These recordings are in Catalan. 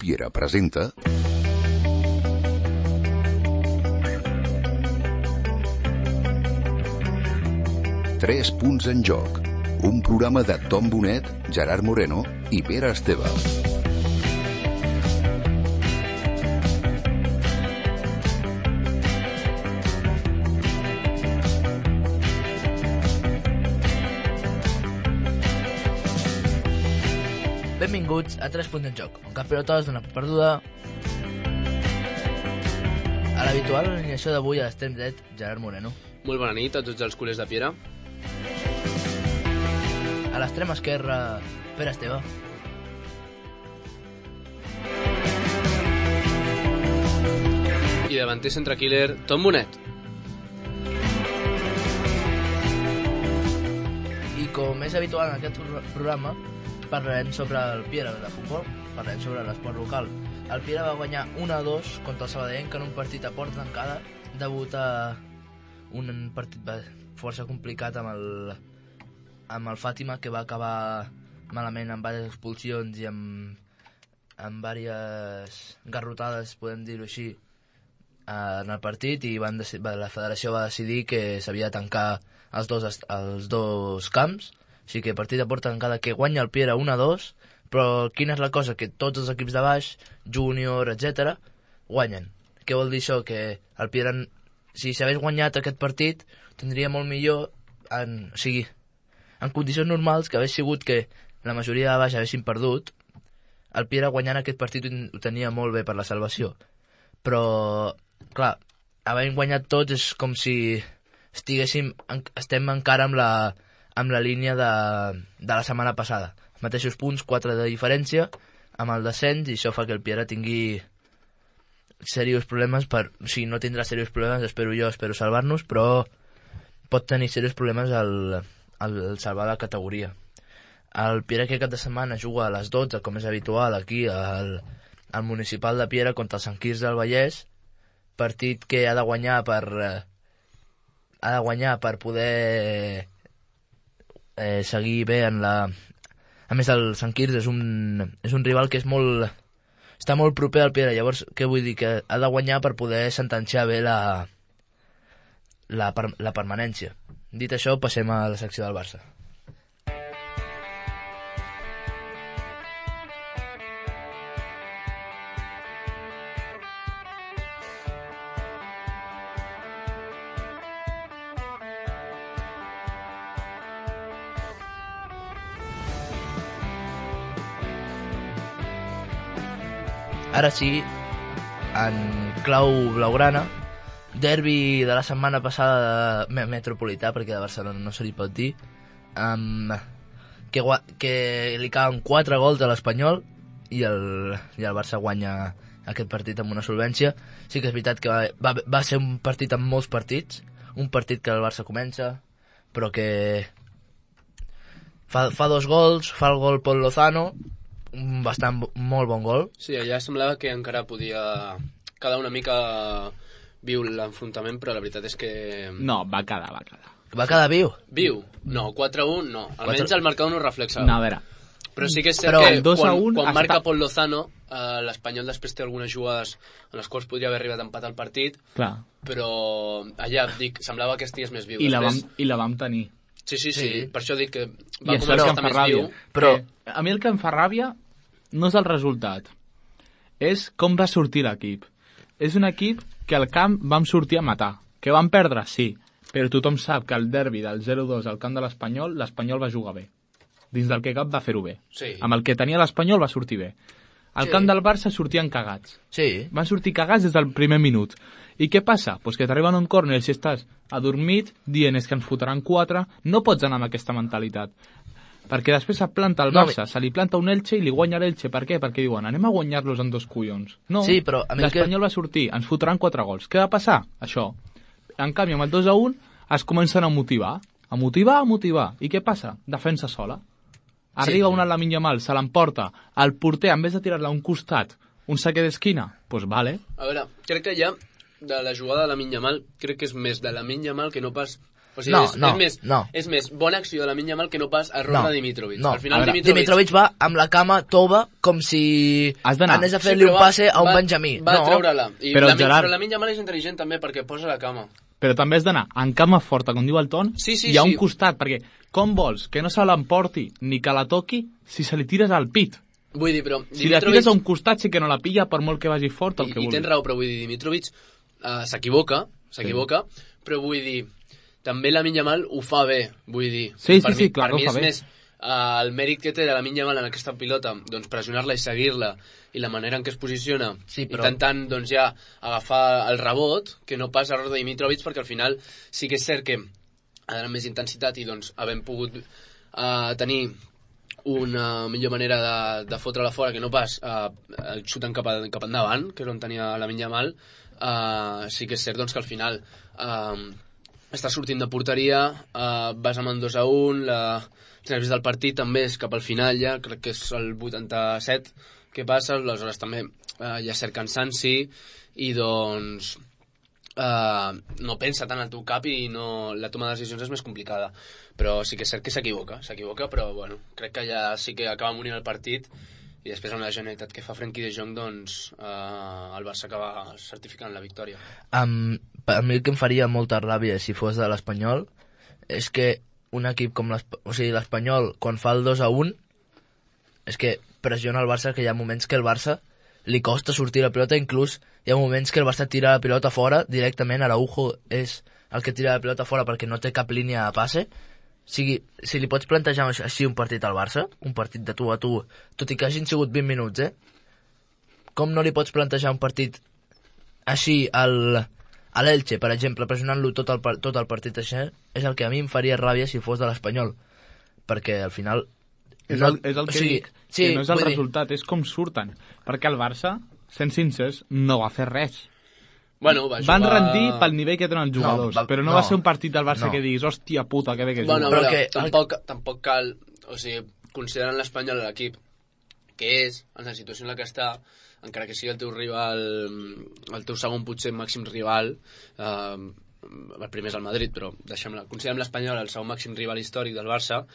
Piera presenta... Tres punts en joc. Un programa de Tom Bonet, Gerard Moreno i Pere Esteve. Benvinguts a 3 punts en joc, on cap pilota es dona per perduda. A l'habitual alineació d'avui a l'extrem dret, Gerard Moreno. Molt bona nit a tots els culers de Piera. A l'extrem esquerre, Pere Esteve. I davanter centre-killer, Tom Bonet. I com és habitual en aquest programa, parlarem sobre el Piera de futbol, parlarem sobre l'esport local. El Piera va guanyar 1-2 contra el Sabadell en un partit a porta tancada, degut a un partit força complicat amb el Fàtima, que va acabar malament amb diverses expulsions i amb diverses garrotades, podem dir-ho així, en el partit, i la federació va decidir que s'havia de tancar els dos camps. Així que partit de porta tancada que guanya el Piera 1-2, però quina és la cosa? Que tots els equips de baix, júnior, etc., guanyen. Què vol dir això? Que el Piera, si s'hagués guanyat aquest partit, tindria molt millor, en condicions normals, que hagués sigut que la majoria de baix haguessin perdut, el Piera guanyant aquest partit ho tenia molt bé per la salvació. Però, clar, havent guanyat tots és com si estem encara amb la línia de la setmana passada. Mateixos punts, 4 de diferència amb el descens, i això fa que el Piera tingui serios problemes no tindrà serios problemes, espero salvar-nos, però pot tenir serios problemes al salvar la categoria. El Piera aquest cap de setmana juga a les 12, com és habitual aquí al municipal de Piera contra el Sant Quirze del Vallès, partit que ha de guanyar per poder seguir bé en la... A més, el Sant Quirze és un rival que està molt proper al Piera. Llavors, què vull dir? Que ha de guanyar per poder sentenciar bé la permanència. Dit això, passem a la secció del Barça. Ara sí, en clau blaugrana, derbi de la setmana passada metropolità, perquè de Barcelona no se li pot dir, que li cauen 4 gols a l'Espanyol i el Barça guanya aquest partit amb una solvència. Sí que és veritat que va ser un partit amb molts partits, un partit que el Barça comença, però que fa 2 gols, fa el gol Pol Lozano, molt bon gol. Sí, allà semblava que encara podia quedar una mica viu l'enfrontament, però la veritat és que... No, va quedar. Va quedar viu? Viu? No, 4-1 no. Almenys el marcador no ho reflexa. No, a veure. Però sí que és cert que quan marca Pol Lozano, l'Espanyol després té algunes jugades en les quals podria haver arribat a empatar el partit. Clar. Però allà, dic, semblava que estigués més viu. I la vam tenir. Sí. Per això dic que va començar a estar més viu. Però a mi el que em fa ràbia no és el resultat, és com va sortir l'equip. És un equip que al camp vam sortir a matar. Que vam perdre, sí, però tothom sap que el derbi del 0-2 al camp de l'Espanyol va jugar bé. Dins del que cap va fer-ho bé. Sí. Amb el que tenia l'Espanyol va sortir bé. Al camp del Barça sortien cagats. Sí. Van sortir cagats des del primer minut. I què passa? Pues que t'arriben un córner i si estàs adormit, dient és que ens fotran 4, no pots anar amb aquesta mentalitat. Perquè després se planta el Barça, se li planta un Elche i li guanya l'Elche. Per què? Perquè diuen, anem a guanyar-los en 2 collons. No, sí, però l'Espanyol va sortir, ens fotran 4 gols. Què va passar? Això. En canvi, amb el 2-1 es comencen a motivar. A motivar. I què passa? Defensa sola. Arriba una Lamine Yamal, se l'emporta. El porter, en vez de tirar-la a un costat, un saque d'esquina, doncs vale. A veure, crec que ja de la jugada de Lamine Yamal, crec que és més de Lamine Yamal que no pas O sigui, és més bona acció de Lamine Yamal que no pas error de Dimitrovic. Al final Dimitrovic va amb la cama tova com si anés a fer-li un passe a un Benjamí. Va treure-la. Però Lamine Yamal és intel·ligent també perquè posa la cama. Però també has d'anar en cama forta, com diu el Ton, i a un costat, perquè com vols que no se l'emporti ni que la toqui si se li tires al pit? Vull dir, però... Si la tires a un costat sí que no la pilla per molt que vagi fort el que vulgui. I tens raó, però vull dir, Dimitrovic s'equivoca, però vull dir... També Lamine Yamal ho fa bé, vull dir. Sí, clar, per mi ho fa bé. És més el mèrit que té de Lamine Yamal en aquesta pilota, doncs pressionar-la i seguir-la, i la manera en què es posiciona, intentant doncs ja agafar el rebot, que no pas error de Dimitrovic, perquè al final sí que és cert que ha d'anar més intensitat i doncs havent pogut tenir una millor manera de fotre-la fora que no pas el xuten cap endavant, que és on tenia Lamine Yamal, sí que és cert doncs, que al final... estàs sortint de porteria, vas amb el 2-1, els nervis del partit també és cap al final ja, crec que és el 87 que passa, aleshores també hi ha cert cansanci i doncs no pensa tant al teu cap i la toma de decisions és més complicada, però sí que és cert que s'equivoca, però bueno, crec que ja sí que acaba morint el partit i després amb la genialitat que fa Frenkie de Jong doncs el Barça acaba certificant la victòria. A mi el que em faria molta ràbia si fos de l'Espanyol és que un equip com l'Espanyol quan fa el 2-1 és que pressiona el Barça, que hi ha moments que el Barça li costa sortir la pilota, inclús hi ha moments que el Barça tira la pilota fora directament, Araujo és el que tira la pilota fora perquè no té cap línia de passe. O sigui, si li pots plantejar així un partit al Barça, un partit de tu a tu, tot i que hagin sigut 20 minuts, com no li pots plantejar un partit així a l'Elche, per exemple, pressionant-lo tot el partit així, és el que a mi em faria ràbia si fos de l'Espanyol, perquè al final... És el que dic, que no és el resultat, és com surten, perquè el Barça, sent sincers, no va fer res. Bueno, van rendir pel nivell que tenen els jugadors, però no va ser un partit del Barça que diguis, hòstia puta, que bé que juga. Però tampoc cal, o sigui, considerant l'Espanyol l'equip que és, en la situació en la que està, encara que sigui el teu rival, el teu segon potser màxim rival, el primer és el Madrid, però considerem l'Espanyol el segon màxim rival històric del Barça,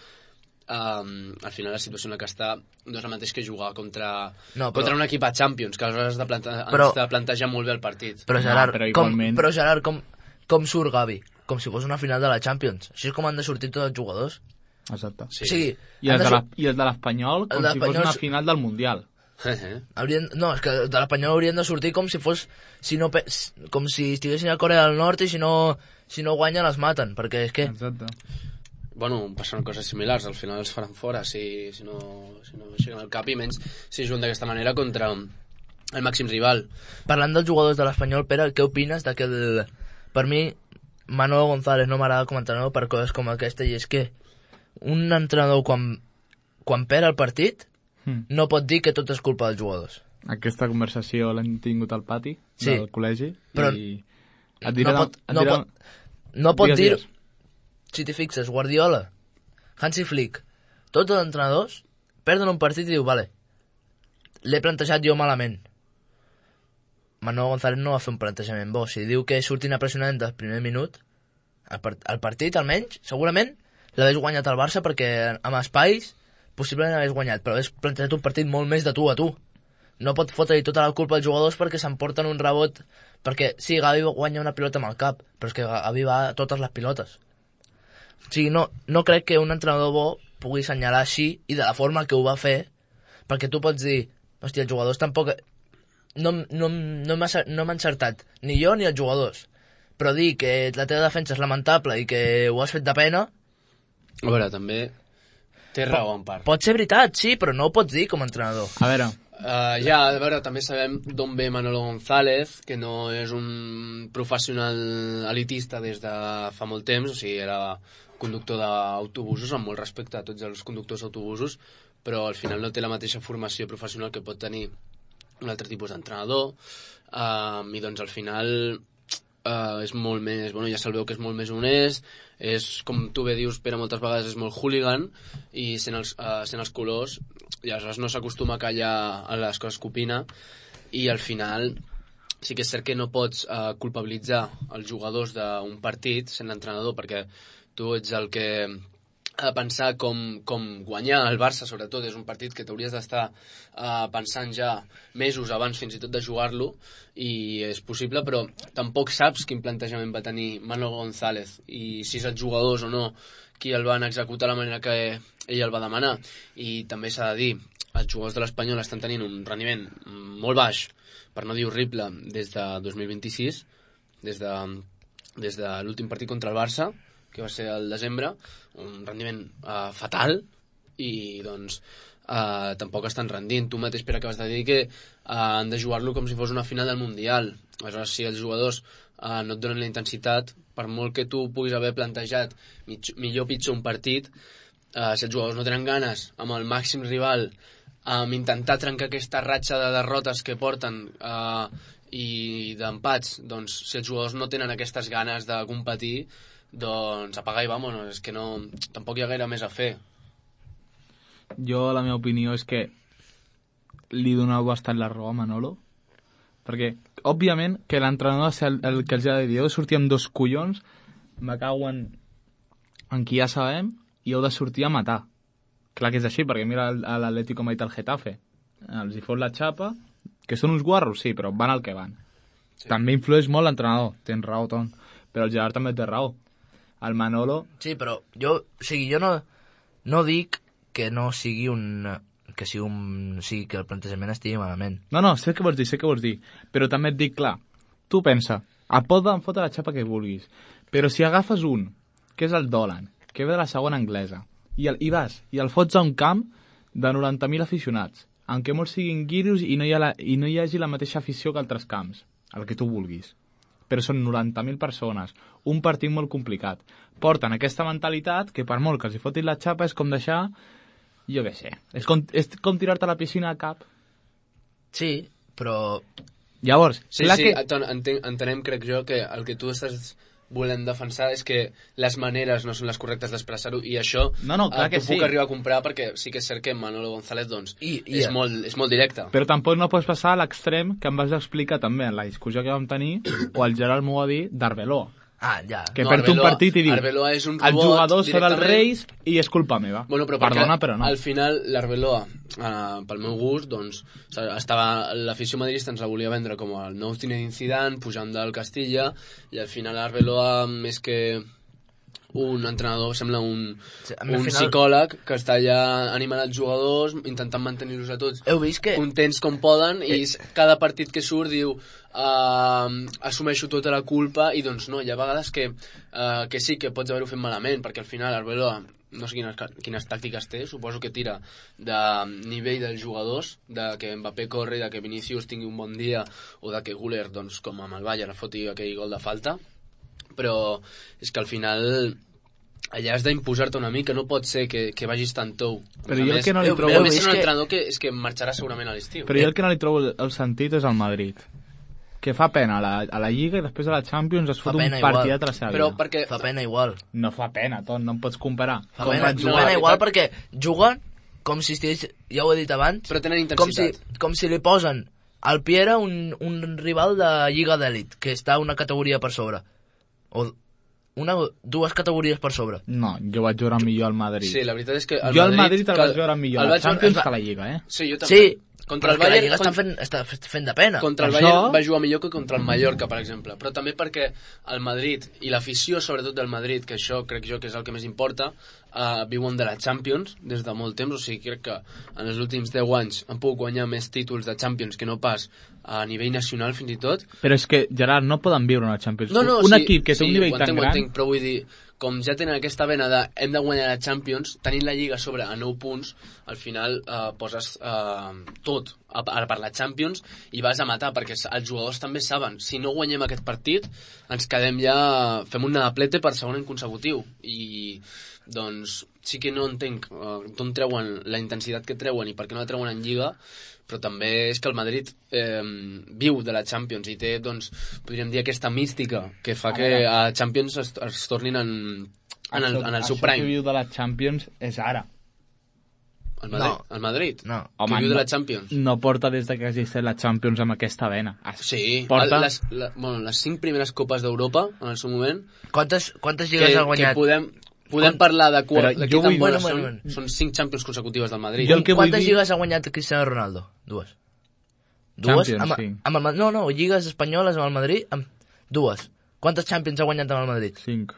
al final la situació en la que està no és el mateix que jugar contra un equip a Champions, que aleshores has de plantejar molt bé el partit. Però Gerard, com surt Gavi? Com si fos una final de la Champions. Així és com han de sortir tots els jugadors. Exacte. Sí. O sigui, I el de l'Espanyol com si fos una final del Mundial. No, és que de l'Espanyol haurien de sortir com si fos com si estiguessin a Corea del Nord i si no guanyen els maten, perquè és que... Exacte. Bueno, passen coses similars, al final els faran fora si no aixequen el cap, i menys si juguen d'aquesta manera contra el màxim rival. Parlant dels jugadors de l'Espanyol, Pere, què opines de que per mi Manolo González no m'agrada com a entrenador per coses com aquesta, i és que un entrenador quan perd el partit no pot dir que tot és culpa dels jugadors. Aquesta conversació l'hem tingut al pati del col·legi, però i no pot dir. Si t'hi fixes, Guardiola, Hansi Flick, tots els entrenadors perden un partit i diu, vale, l'he plantejat jo malament. Manolo González no va fer un plantejament bo. Si diu que surtin a pressionar del primer minut, el partit, almenys, segurament, l'hagués guanyat el Barça perquè amb espais possiblement l'hagués guanyat, però hagués plantejat un partit molt més de tu a tu. No pot fotre-hi tota la culpa als jugadors perquè s'emporten un rebot, perquè sí, Gavi guanya una pilota amb el cap, però és que Gavi va a totes les pilotes. O sigui, no crec que un entrenador bo pugui assenyalar així i de la forma que ho va fer, perquè tu pots dir, hòstia, els jugadors tampoc... No m'ha encertat, ni jo ni els jugadors, però dir que la teva defensa és lamentable i que ho has fet de pena... A veure, també té raó en part. Pot ser veritat, sí, però no ho pots dir com a entrenador. A veure... a veure, també sabem d'on ve Manolo González, que no és un professional elitista des de fa molt temps, o sigui, era conductor d'autobusos, amb molt respecte a tots els conductors d'autobusos, però al final no té la mateixa formació professional que pot tenir un altre tipus d'entrenador, i doncs al final és molt més, bueno, ja se'l veu que és molt més honest, és, com tu bé dius, Pere, moltes vegades és molt hooligan, i sent els colors, i aleshores no s'acostuma a callar a les coses que opina, i al final sí que és cert que no pots culpabilitzar els jugadors d'un partit sent l'entrenador, perquè tu ets el que ha de pensar com guanyar el Barça, sobretot. És un partit que t'hauries d'estar pensant ja mesos abans fins i tot de jugar-lo, i és possible, però tampoc saps quin plantejament va tenir Manolo González i si és els jugadors o no qui el van executar de la manera que ell el va demanar. I també s'ha de dir, els jugadors de l'Espanyol estan tenint un rendiment molt baix, per no dir horrible, des de 2026, des de l'últim partit contra el Barça, que va ser al desembre, un rendiment fatal, i doncs tampoc estan rendint. Tu mateix, Pere, acabes de dir que han de jugar-lo com si fos una final del Mundial. Aleshores, si els jugadors no et donen la intensitat, per molt que tu puguis haver plantejat millor o pitjor un partit, si els jugadors no tenen ganes amb el màxim rival, intentar trencar aquesta ratxa de derrotes que porten i d'empats, doncs si els jugadors no tenen aquestes ganes de competir, doncs apagar i vámonos, és que no, tampoc hi ha gaire més a fer. Jo, la meva opinió és que li doneu bastant la raó a Manolo, perquè, òbviament, que l'entrenador és el que els ha de dir, heu de sortir amb 2 collons, me cago en qui ja sabem, i heu de sortir a matar. Clar que és així, perquè mira l'Atlético Madrid al Getafe. Els hi fot la xapa, que són uns guarros, sí, però van al que van. Sí. També influeix molt l'entrenador, tens raó, Ton, però el Gerard també té raó. El Manolo... Sí, però jo no dic que no sigui que el plantejament estigui malament. No, sé què vols dir, però també et dic, clar, tu pensa, poden fotre la xapa que vulguis, però si agafes un, que és el Dolan, que ve de la segona anglesa, i el fots a un camp de 90.000 aficionats, en què molts siguin guiris i no hi hagi la mateixa afició que altres camps, el que tu vulguis. Però són 90.000 persones, un partit molt complicat. Porten aquesta mentalitat que per molt que els hi fotin la xapa és com deixar, jo què sé, és com tirar-te a la piscina a cap. Sí, però... Llavors, sí, entenem, crec jo, que el que tu estàs volem defensar és que les maneres no són les correctes d'expressar-ho, i això puc arribar a comprar, perquè sí que és cert que Manolo González és molt directe. Però tampoc no pots passar a l'extrem que em vas explicar també en la discussió que vam tenir, o el Gerard m'ho va dir, d'Arbeloa. Ja. Que perd un partit i diu és un els jugadors són els reis i és culpa meva. Bueno, però perdona, però no. Al final l'Arbeloa, pel meu gust, doncs, l'afició madridista ens la volia vendre com el nou Zinedine Zidane pujant del Castilla, i al final l'Arbeloa, més que un entrenador, sembla un psicòleg que està allà animant els jugadors, intentant mantenir-los a tots contents com poden, i cada partit que surt diu assumeixo tota la culpa, i doncs no, hi ha vegades que sí que pots haver-ho fet malament, perquè al final Arbeloa no sé quines tàctiques té, suposo que tira de nivell dels jugadors, de que Mbappé corri, de que Vinícius tingui un bon dia, o de que Güler, doncs, com amb el Bayern, foti aquell gol de falta, però és que al final allà has d'imposar-te una mica, no pot ser que vagis tan tou. Però jo el que no li trobo... A més, és un entrenador que marxarà segurament a l'estiu. Però jo el que no li trobo el sentit és el Madrid, que fa pena a la Lliga i després a la Champions es fot un partidat a la seva vida. Perquè... Fa pena igual. No fa pena, Ton, no em pots comparar. Fa pena igual perquè juguen com si estigués, ja ho he dit abans, però tenen intensitat. Com si li posen al Piera un rival de Lliga d'Elit, que està una categoria per sobre. O dues categories per sobre. No, jo vaig jugar millor al Madrid. Sí, la veritat és que al Madrid el vaig jugar millor a la Champions que a la Lliga, Sí, jo també. Sí, contra el Bayern està fent de pena. Contra el Bayern va jugar millor que contra el Mallorca, per exemple. Però també perquè el Madrid, i l'afició sobretot del Madrid, que això crec jo que és el que més importa, viuen de la Champions des de molt temps. O sigui, crec que en els últims 10 anys han pogut guanyar més títols de Champions que no pas a nivell nacional, fins i tot. Però és que, Gerard, no poden viure una Champions. Un equip que té un nivell tan gran... Entenc, però vull dir, com ja tenen aquesta vena de hem de guanyar la Champions, tenint la Lliga sobre a 9 punts, al final poses tot per la Champions i vas a matar, perquè els jugadors també saben, si no guanyem aquest partit ens quedem ja, fem un nadaplete per segon any consecutiu, i doncs sí que no entenc d'on treuen la intensitat que treuen i per què no la treuen en Lliga, però també és que el Madrid viu de la Champions i té, doncs, podríem dir, aquesta mística que fa que a Champions es tornin en el seu prime. Això que viu de la Champions és ara. El Madrid? No. Que viu de la Champions. No porta des que hagi estat la Champions amb aquesta vena. Sí, porta... les 5 primeres copes d'Europa, en el seu moment... Quantes lligues ha guanyat? Que podem parlar de jo vull... Són 5 Champions consecutives del Madrid. Quantes lligues ha guanyat Cristiano Ronaldo? Dues. Champions, sí. No, lligues espanyoles amb el Madrid, dues. Quantes Champions ha guanyat amb el Madrid? 5.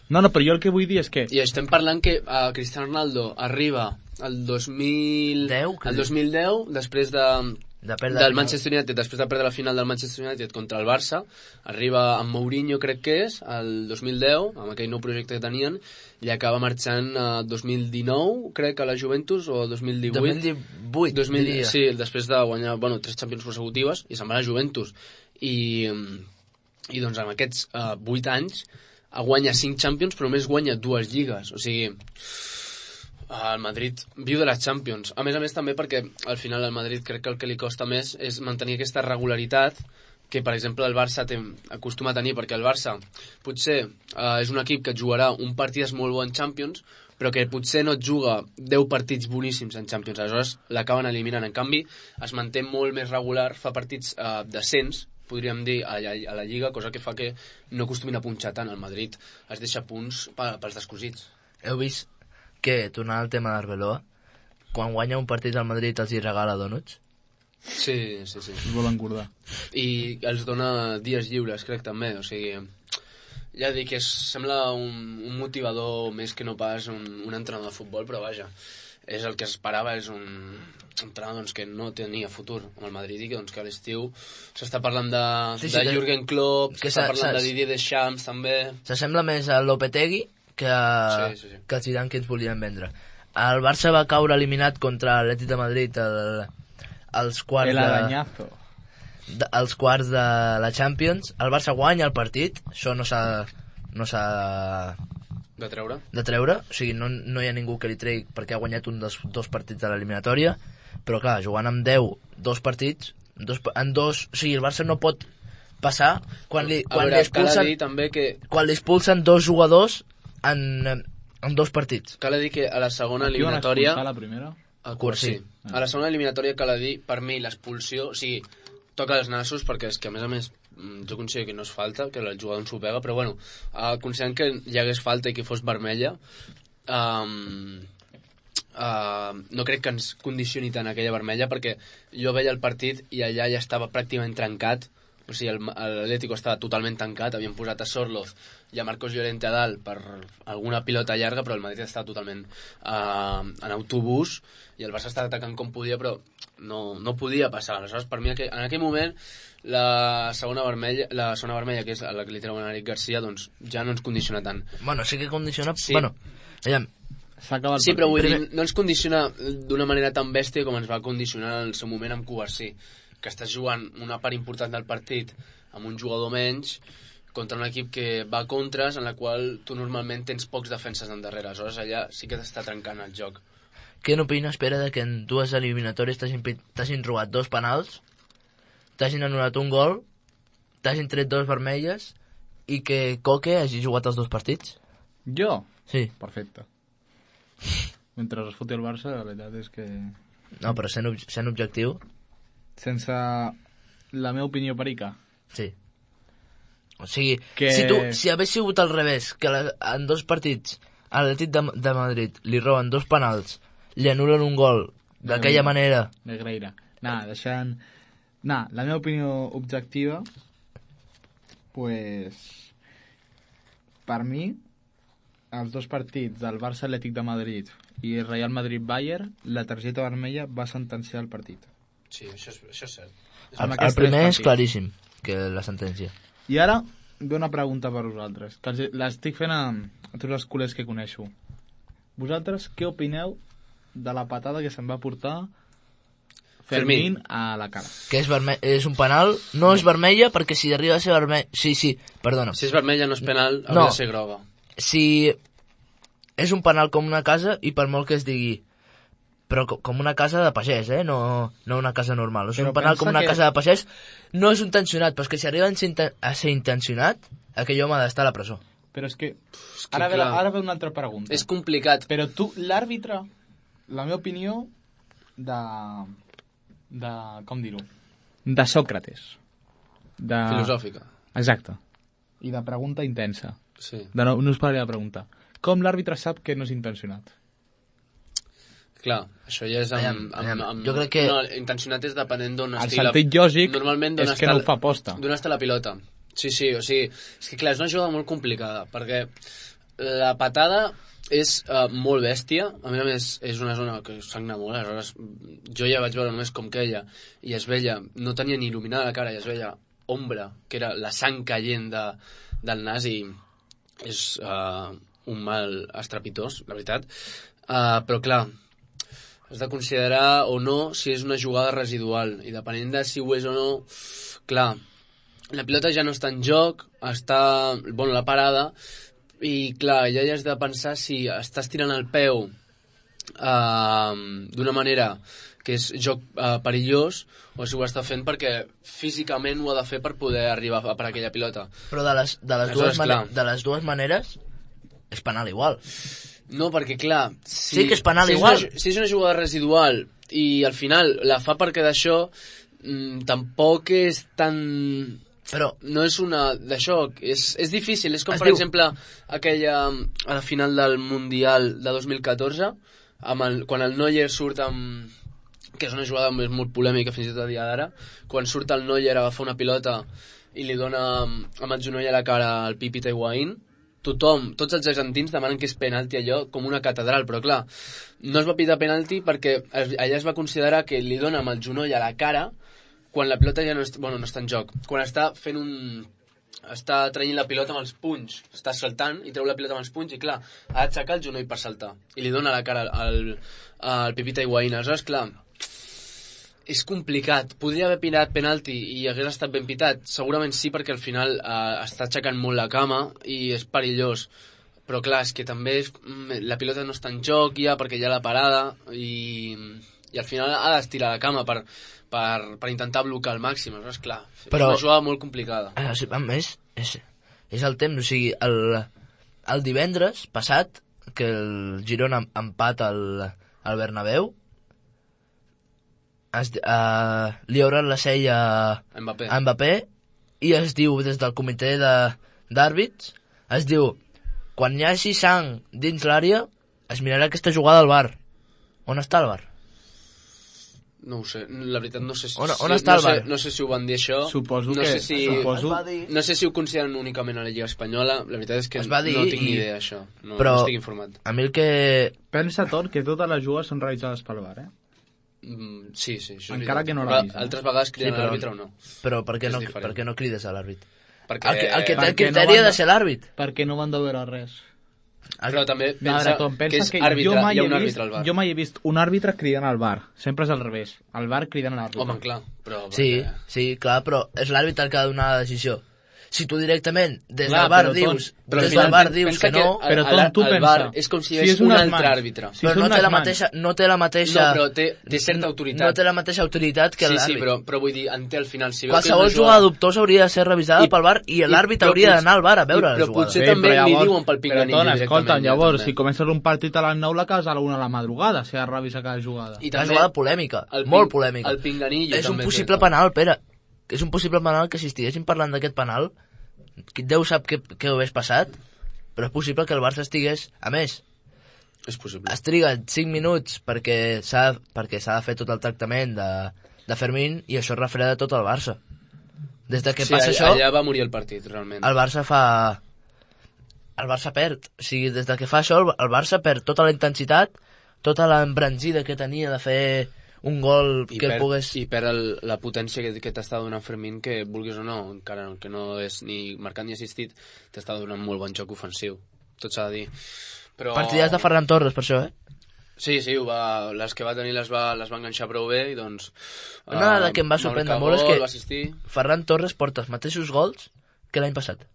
No, però jo el que vull dir és que... I estem parlant que Cristiano Ronaldo arriba al 2010, després del Manchester United, després de perdre la final del Manchester United contra el Barça, arriba amb Mourinho, crec que és, el 2010, amb aquell nou projecte que tenien, i acaba marxant 2019, crec, a la Juventus, o 2018. 2018, sí, després de guanyar 3 Champions consecutives, i se'n va a la Juventus. I doncs en aquests 8 anys guanya 5 Champions, però només guanya 2 lligues. O sigui, el Madrid viu de les Champions. A més també perquè al final al Madrid crec que el que li costa més és mantenir aquesta regularitat que, per exemple, el Barça acostuma a tenir, perquè el Barça potser és un equip que et jugarà un partit molt bo en Champions, però que potser no et juga 10 partits boníssims en Champions. Aleshores l'acaben eliminant. En canvi, es manté molt més regular, fa partits decents, podríem dir, a la Lliga, cosa que fa que no acostumin a punxar tant. El Madrid es deixa punts pels descosits. Heu vist que, tornant al tema d'Arbeloa, quan guanya un partit al Madrid els hi regala donuts? Sí. Es volen engordar. I els dona dies lliures, crec, també. O sigui, ja dic que sembla un motivador més que no pas un entrenador de futbol, però vaja, és el que esperava, és un entrenador que no tenia futur amb el Madrid i que a l'estiu s'està parlant de Jürgen Klopp, s'està parlant de Didier Deschamps també. S'assembla més a Lopetegui que a Zidane que ens volien vendre. El Barça va caure eliminat contra l'Atlètic de Madrid als quarts de la Champions. El Barça guanya el partit, això no s'ha de treure, o sigui, no hi ha ningú que li tregui perquè ha guanyat un dels 2 partits de l'eliminatòria, però clar, jugant amb 2 partits, o sigui, el Barça no pot passar quan li expulsen 2 jugadors en 2 partits. Cal dir que a la segona eliminatòria... A la primera? Sí. A la segona eliminatòria cal dir, per mi, l'expulsió, o sigui, toca els nassos, perquè és que, a més, jo considero que no és falta, que el jugador ens ho pega, però bueno, considerant que hi hagués falta i que fos vermella, no crec que ens condicioni tant aquella vermella, perquè jo veia el partit i allà ja estava pràcticament trencat, o sigui, l'Atlético estava totalment tancat, havien posat a Sorloz i a Marcos Llorente a dalt per alguna pilota llarga, però el Madrid estava totalment en autobús i el Barça estava atacant com podia, però no podia passar. Aleshores, per mi, en aquell moment, la segona vermella, que és la que li treuen a Eric Garcia, doncs ja no ens condiciona tant. Bueno, sí que condiciona... Sí. Bueno, aviam. Sí, però vull dir, no ens condiciona d'una manera tan bèstia com ens va condicionar en el seu moment amb Covarsí, que estàs jugant una part important del partit amb un jugador menys contra un equip que va a contres, en la qual tu normalment tens pocs defenses endarrere. Aleshores allà sí que t'està trencant el joc. Què n'opina, espera, de que en 2 eliminatòries t'hagin robat 2 penals, t'hagin anul·lat un gol, t'hagin tret 2 vermelles i que Coque hagi jugat els 2 partits? Jo? Sí. Perfecte. Mentre es foti el Barça, la veritat és que... No, però sent objectiu... Sense la meva opinió perica. Sí. O sigui, si hagués sigut al revés, que en 2 partits a l'Atlètic de Madrid li roben 2 penals, li anulen un gol d'aquella manera... Negreira. La meva opinió objectiva, pues, per mi, els 2 partits del Barça Atlètic de Madrid i Real Madrid-Bayern, la targeta vermella va sentenciar el partit. Sí, això és cert. El primer és claríssim, que la sentència. I ara ve una pregunta per vosaltres, que l'estic fent a tots els culers que coneixo. Vosaltres què opineu de la patada que se'n va portar Fermín a la cara? Que és un penal, no és vermella, perquè si arriba a ser vermella... Sí, perdona. Si és vermella no és penal, hauria de ser groga. Si és un penal com una casa, i per molt que es digui però com una casa de pagès, no una casa normal. És un penal com una casa de pagès, no és intencionat, però és que si arriba a ser intencionat, aquell home ha d'estar a la presó. Però és que ara ve una altra pregunta. És complicat. Però tu, l'àrbitre, La meva opinió de com dir-ho? De Sòcrates. Filosòfica. Exacte. I de pregunta intensa. Sí. No us parlaré de pregunta. Com l'àrbitre sap que no és intencionat? Clar, això ja és jo crec que... No, intencionat és depenent d'on estigui... El sentit lògic és que no ho fa posta. D'on està la pilota. Sí, o sigui... És que clar, és una jugada molt complicada, perquè la patada és molt bèstia, a més és una zona que sagna molt, aleshores jo ja vaig veure només com queia, i es veia, no tenia ni il·luminada la cara, i es veia ombra, que era la sang caient del nas, i és un mal estrepitós, la veritat. Però clar, has de considerar o no si és una jugada residual, i depenent de si ho és o no, clar, la pilota ja no està en joc, està, bueno, la parada, i clar, ja has de pensar si estàs tirant el peu d'una manera que és joc perillós, o si ho està fent perquè físicament ho ha de fer per poder arribar per aquella pilota. Però de les dues maneres és penal igual. No, perquè clar, sí que és penal igual. Si és una jugada residual i al final la fa perquè d'això, tampoc és tan... Però no és una d'això, és difícil, és com per exemple aquella a la final del Mundial de 2014, quan el Neuer surt amb... que és una jugada molt polèmica fins i tot a dia d'ara, quan surt el Neuer a agafar una pilota i li dona amb el genoll a la cara al Pipita Higuaín, tots els argentins demanen que és penalti allò com una catedral, però clar, no es va pitar penalti perquè allà es va considerar que li dona amb el genoll a la cara quan la pilota ja no està en joc, quan està fent està traient la pilota amb els punys, està saltant i treu la pilota amb els punys i clar, ha d'aixecar el genoll per saltar i li dona la cara al Pipita Higuaín. Aleshores, clar, és complicat, podria haver pitat penalti i hagués estat ben pitat, segurament sí, perquè al final està aixecant molt la cama i és perillós, però clar, és que també la pilota no està en joc ja perquè hi ha la parada i al final ha d'estirar la cama per intentar blocar al màxim. Aleshores, clar, però, és una jugada molt complicada. A més, és el temps, o sigui, el divendres passat, que el Girona empata al Bernabéu, li obren la sella a Mbappé i es diu, des del comitè d'àrbits, es diu, quan hi hagi sang dins l'àrea, es mirarà aquesta jugada al VAR. On està el VAR? No ho sé, la veritat no sé si... On està el VAR? No sé si ho van dir això. Suposo que... No sé si ho consideren únicament a la Lliga Espanyola. La veritat és que no tinc ni idea d'això. No estic informat. A mi el que... Pensa tot que totes les jugues són realitzades pel VAR, Sí, encara que no l'avisen. Altres vegades criden a l'àrbitre o no. Però per què no crides a l'àrbit? El que té el criteri ha de ser l'àrbit. Perquè no van de veure res. Però també pensa que és àrbitre, hi ha un àrbitre al VAR. Jo mai he vist un àrbitre cridant al VAR. Sempre és al revés. El VAR cridant a l'àrbitre. Home, clar. Sí, clar, però és l'àrbitre el que ha de donar la decisió. Si tu directament des del VAR dius que no... Però tu pensa... És com si hi hagués un altre àrbitre. Però no té la mateixa... No, però té certa autoritat. No té la mateixa autoritat que l'àrbit. Sí, però vull dir, té al final... Qualsevol jugada dubtosa hauria de ser revisada pel VAR i l'àrbitre hauria d'anar al VAR a veure la jugada. Però potser també li diuen pel pinganillo directament. Escolta, llavors, si comences un partit a les 9, la casa a la 1 de la madrugada, si has de revisar cada jugada. Una jugada polèmica, molt polèmica. El pinganillo és un possible penal, Pere. És un possible penal que si estiguéssim parlant d'aquest penal, Déu sap què ho hagués passat, però és possible que el Barça estigués... A més, és possible. Es triga 5 minuts perquè s'ha de fer tot el tractament de Fermín i això es refreda tot el Barça. Des de que passa això... allà va morir el partit, realment. El Barça perd. O sigui, des de que fa això, el Barça perd tota la intensitat, tota l'embranzida que tenia de fer un gol que pogués... I perd la potència que t'està donant Fermín, que vulguis o no, encara que no és ni marcat ni assistit, t'està donant molt bon joc ofensiu. Tot s'ha de dir. Però... Partides de Ferran Torres, per això, Sí, les que va tenir les va enganxar prou bé i doncs... Una dada que em va sorprendre molt és que Ferran Torres porta els mateixos gols que l'any passat.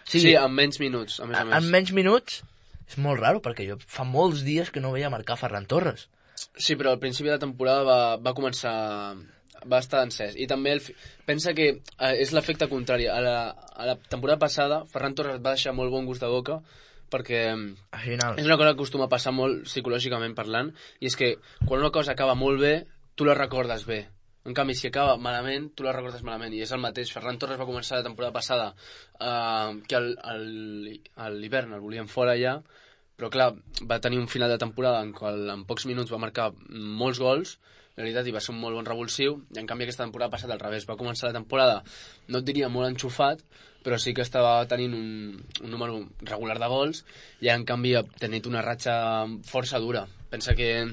Sí, en menys minuts, a més a més. En menys minuts és molt raro, perquè jo fa molts dies que no veia marcar Ferran Torres. Sí, però al principi de la temporada va començar... va estar encès. I també pensa que és l'efecte contrari. A la temporada passada, Ferran Torres va deixar molt bon gust de boca perquè final. és una cosa que acostuma a passar molt psicològicament parlant, i és que quan una cosa acaba molt bé, tu la recordes bé. En canvi, si acaba malament, tu la recordes malament. I és el mateix. Ferran Torres va començar la temporada passada que a l'hivern el volien fora ja, però clar, va tenir un final de temporada en qual en pocs minuts va marcar molts gols, la veritat, i va ser un molt bon revulsiu, i en canvi aquesta temporada passada al revés. Va començar la temporada, no et diria molt enxufat, però sí que estava tenint un número regular de gols, i en canvi ha tenit una ratxa força dura. Pensa que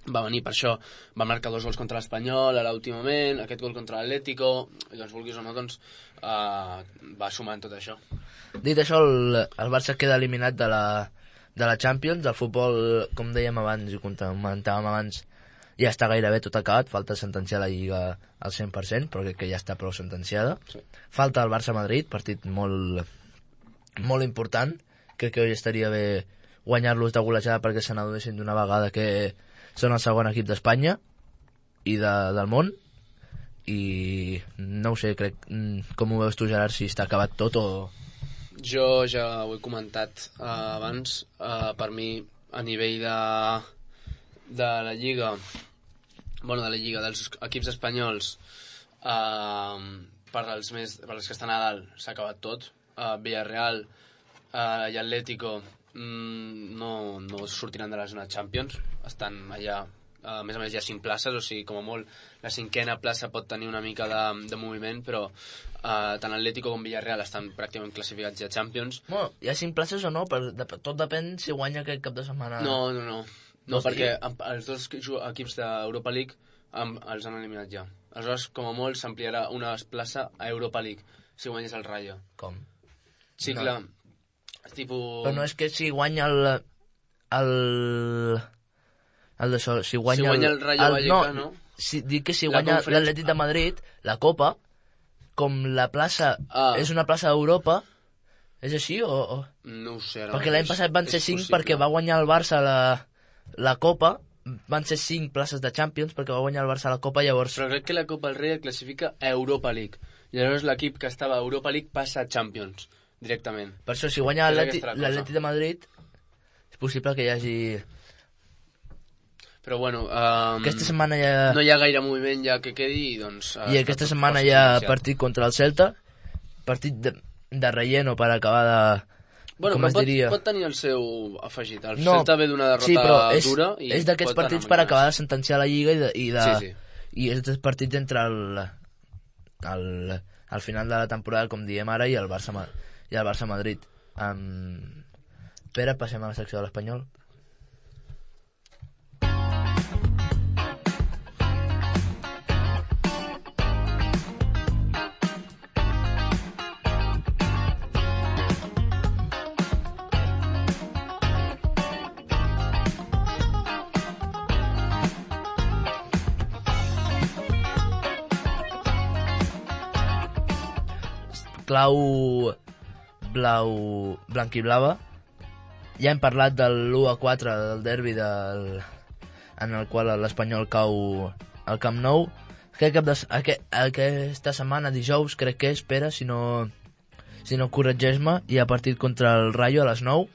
va venir per això, va marcar 2 gols contra l'Espanyol a l'últim moment, aquest gol contra l'Atlético, i doncs vulguis o no, doncs va sumant tot això. Dit això, el Barça queda eliminat de la Champions. El futbol, com dèiem abans i comentàvem abans, ja està gairebé tot acabat, falta sentenciar la Lliga al 100%, però crec que ja està prou sentenciada. Sí. Falta el Barça-Madrid, partit molt, molt important. Crec que avui estaria bé guanyar-los de golejada perquè se n'adonessin d'una vegada que són el segon equip d'Espanya i del món, i no ho sé, crec, com ho veus tu, Gerard, si està acabat tot o... Jo ja ho he comentat abans, per mi a nivell de la Lliga, dels equips espanyols, per als que estan a dalt s'ha acabat tot. Villarreal i Atlético no sortiran de la zona Champions, estan allà, a més hi ha 5 places, o sigui, com a molt la 5ª plaça pot tenir una mica de moviment, però tant Atlético com Villarreal estan pràcticament classificats ja a Champions. Bueno, hi ha 5 places o no? Tot depèn si guanya aquest cap de setmana. No, perquè els 2 equips d'Europa League els han eliminat ja. Aleshores, com a molt, s'ampliarà una plaça a Europa League si guanyes el Rayo. Com? Sí, no. Clar. Però no és que si guanya si guanya el Rayo Vallecano, no? Dic que si guanya l'Atlètic de Madrid, la Copa, com la plaça és una plaça d'Europa, és així o...? No ho sé. Perquè l'any passat van ser 5 perquè va guanyar el Barça la Copa, van ser 5 places de Champions perquè va guanyar el Barça la Copa, llavors... Però crec que la Copa del Rei classifica a Europa League. I llavors l'equip que estava a Europa League passa a Champions, directament. Per això, si guanya l'Atlètic de Madrid, és possible que hi hagi... Però bueno, aquesta setmana ja... no hi ha gaire moviment ja que quedi, i doncs... I aquesta setmana hi ha partit contra el Celta, partit de relleno per acabar de... Bueno, com es diria... pot tenir el seu afegit. El Celta ve d'una derrota dura... Sí, però és d'aquests partits per acabar de sentenciar la Lliga Sí. I és d'aquests partits entre al final de la temporada, com diem ara, i el Barça-Madrid. Pere, passem a la secció de l'Espanyol. Clau blanc i blava. Ja hem parlat del 1-4 del derbi en el qual l'Espanyol cau al Camp Nou. Aquesta setmana, dijous, crec que espera, si no corregeix-me, hi ha partit contra el Rayo a les 9.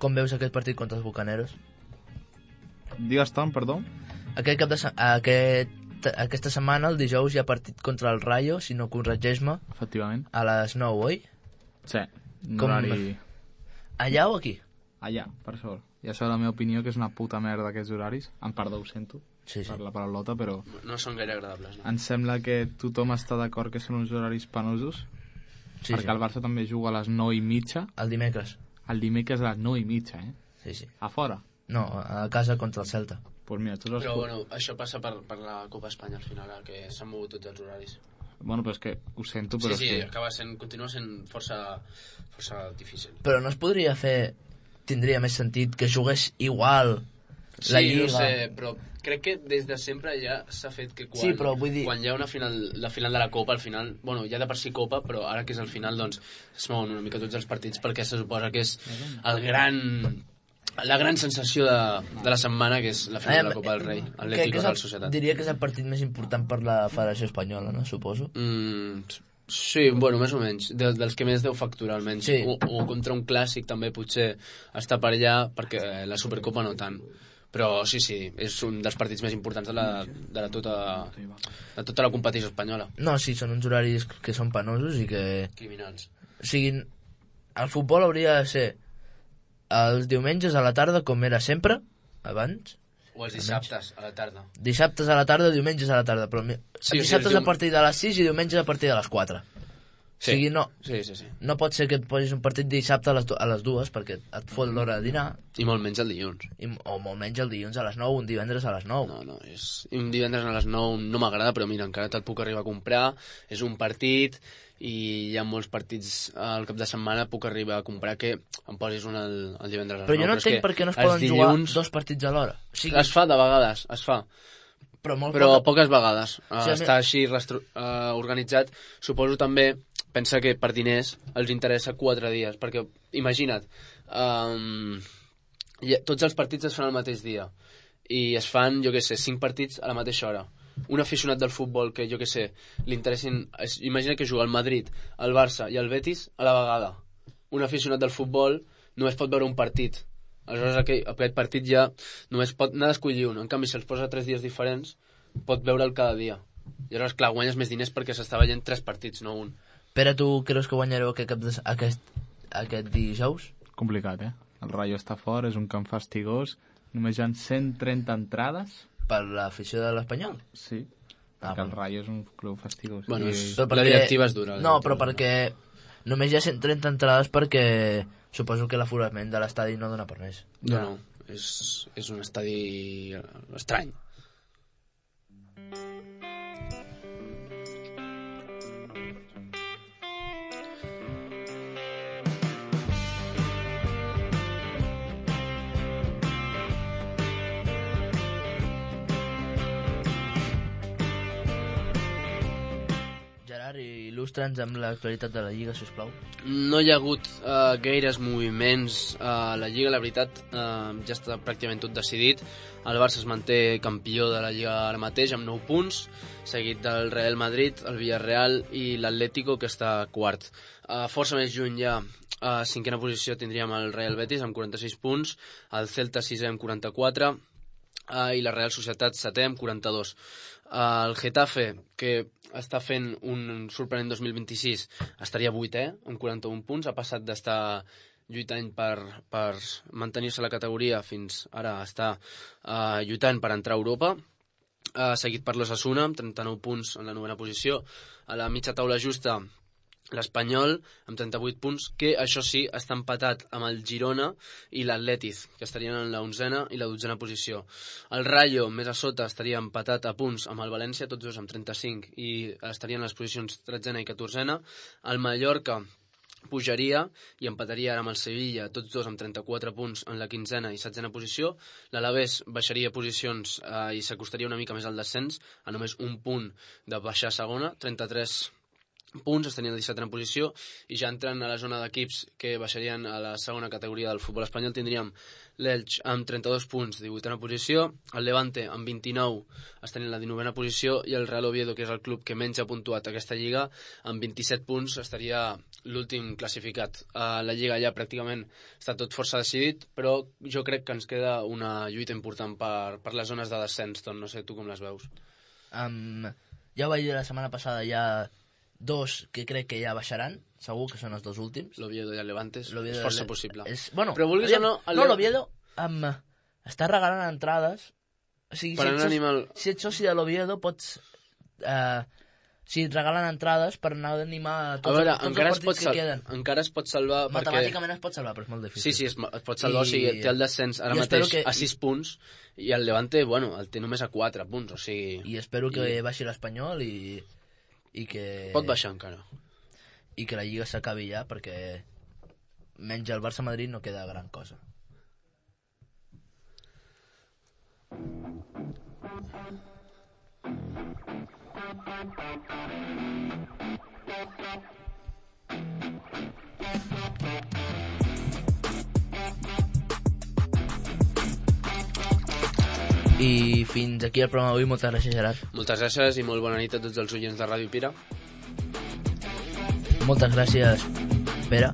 Com veus aquest partit contra els Bucaneros? Digues tant, perdó. Aquesta setmana, el dijous, hi ha partit contra el Rayo, si no corregeix-me. Efectivament. A les 9, oi? Sí. Horari... Allà o aquí? Allà, per sort. Ja sabeu la meva opinió, que és una puta merda aquests horaris. Em perdó, ho sento, per la paraulota, però... No són gaire agradables, no? Em sembla que tothom està d'acord que són uns horaris penosos, perquè el Barça també juga a les 9:30. El dimecres. El dimecres a les 9:30, Sí. A fora? No, a casa contra el Celta. Pues mira, però bueno, això passa per la Copa Espanya al final, que s'han mogut tots els horaris. Bueno, però és que ho sento, però sí, continua sent força difícil. Però no es podria fer, tindria més sentit que jugués igual la Lliga? Sí, no sé, però crec que des de sempre ja s'ha fet que quan hi ha la final de la Copa, al final, bueno, ja de per si Copa, però ara que és el final, doncs es mouen una mica tots els partits perquè se suposa que és la gran sensació de la setmana, que és la final de la Copa del Rei, Atlético de la Societat. Diria que és el partit més important per la Federació Espanyola, no? Suposo. Sí, bueno, més o menys. Dels que més deu facturar, almenys. Sí. O contra un clàssic també potser està per allà, perquè la Supercopa no tant. Però sí, és un dels partits més importants de tota la competició espanyola. No, sí, són uns horaris que són penosos i que... Criminals. O sigui, el futbol hauria de ser els diumenges a la tarda, com era sempre, abans. O els dissabtes a la tarda. Dissabtes a la tarda, diumenges a la tarda, però dissabtes a partir de les 6 i diumenges a partir de les 4. Sí. O sigui, no, Sí. no pot ser que et posis un partit dissabte a les 2 perquè et fot l'hora de dinar. I molt menys el dilluns. O molt menys el dilluns a les 9, un divendres a les 9. No, un divendres a les 9 no m'agrada, però mira, encara te'l puc arribar a comprar. És un partit i hi ha molts partits al cap de setmana puc arribar a comprar que em posis un el divendres a les 9. Però jo no entenc per què no es poden jugar 2 partits a l'hora. O sigui, es fa de vegades, es fa. Però poques vegades. Està així organitzat. Suposo també, pensa que per diners els interessa 4 dies, perquè imagina't, tots els partits es fan el mateix dia i es fan, jo què sé, 5 partits a la mateixa hora. Un aficionat del futbol que, jo què sé, li interessin... Imagina que juga el Madrid, el Barça i el Betis a la vegada. Un aficionat del futbol només pot veure un partit. Aleshores aquest partit ja només pot anar d'escollir un. En canvi, si els posa 3 dies diferents, pot veure'l cada dia. I aleshores, clar, guanyes més diners perquè s'està veient 3 partits, no un. Pere, tu creus que guanyareu aquest dijous? Complicat, El Rayo està fora, és un camp fastigós. Només hi ha 130 entrades. Per l'afició de l'Espanyol? Sí, perquè el Rayo és un club fastigós. Bueno, la directiva és dura. No, però perquè només hi ha 130 entrades perquè suposo que l'aforament de l'estadi no dona per més. No, és un estadi estrany. Il·lustra'ns amb l'actualitat de la Lliga, sisplau. No hi ha hagut gaires moviments a la Lliga, la veritat, ja està pràcticament tot decidit. El Barça es manté campió de la Lliga ara mateix amb 9 punts, seguit del Real Madrid, el Villarreal i l'Atlético, que està quart. Força més lluny ja, a 5a posició tindríem el Real Betis amb 46 punts, el Celta 6è amb 44 i la Real Societat 7è amb 42. El Getafe, que està fent un sorprenent 2026, estaria 8è amb 41 punts, ha passat d'estar lluitant per mantenir-se a la categoria fins ara està lluitant per entrar a Europa, seguit per l'Osasuna amb 39 punts en la 9a posició. A la mitja taula justa l'Espanyol amb 38 punts, que això sí està empatat amb el Girona i l'Atlètic, que estarien en la 11a i la 12a posició. El Rayo, més a sota, estaria empatat a punts amb el València, tots dos amb 35, i estarien en les posicions 13a i 14a. El Mallorca pujaria i empataria ara amb el Sevilla, tots dos amb 34 punts en la 15a i 16a posició. L'Alavés baixaria posicions i s'acostaria una mica més al descens, a només un punt de baixar a segona, 33 punts, estarien a la 17a posició, i ja entrant a la zona d'equips que baixarien a la segona categoria del futbol espanyol tindríem l'Elx amb 32 punts, 18a posició, el Levante amb 29 estarien a la 19a posició, i el Real Oviedo, que és el club que menys ha puntuat aquesta lliga, amb 27 punts estaria l'últim classificat. La lliga ja pràcticament està tot força decidit, però jo crec que ens queda una lluita important per les zones de descens. No sé tu com les veus. Ja ho vaig dir la setmana passada, hi ha 2 que crec que ja baixaran, segur que són els 2 últims. L'Oviedo i el Levante és força possible. Bueno, però vulguis o no... l'Oviedo està regalant entrades. O sigui, si ets soci de l'Oviedo pots... si et regalen entrades per anar a animar tots els partits que queden. Encara es pot salvar perquè... Matemàticament es pot salvar, però és molt difícil. Sí, es pot salvar, o sigui, té el descens ara mateix a 6 punts, i el Levante, bueno, el té només a 4 punts, o sigui... I espero que baixi l'Espanyol i que... Pot baixar encara. I que la Lliga s'acabi ja, perquè menys el Barça-Madrid no queda gran cosa. I fins aquí el programa d'avui. Moltes gràcies, Gerard. Moltes gràcies i molt bona nit a tots els oients de Ràdio Pira. Moltes gràcies, Pere.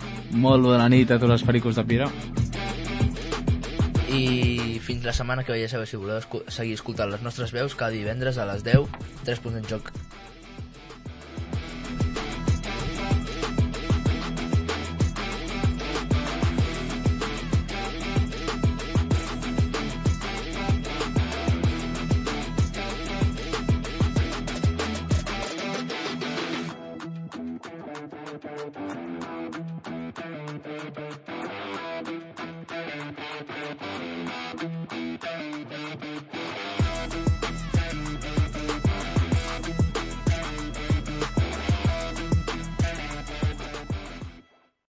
Molt bona nit a tots els pericos de Pere. I fins la setmana que ve, ja sabeu, si voleu seguir escoltant les nostres veus, cada divendres a les 10, 3 punts en joc.